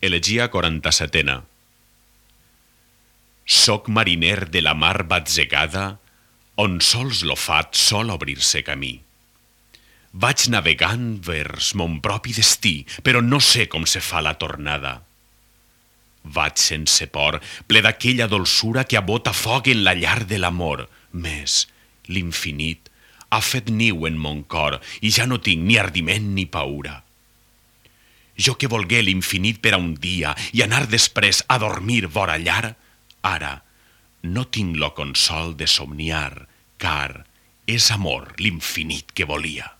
Elegia 47a. Soc mariner de la mar batzegada, on sols lo fat sol obrir-se camí. Vaig navegant vers mon propi destí, però no sé com se fa la tornada. Vaig sense por, ple d'aquella dolçura que abota foc en la llar de l'amor, més l'infinit ha fet niu en mon cor i ja no tinc ni ardiment ni paura. Jo que volgué l'infinit per a un dia i anar després a dormir vora llar, ara no tinc lo consol de somniar, car és amor l'infinit que volia.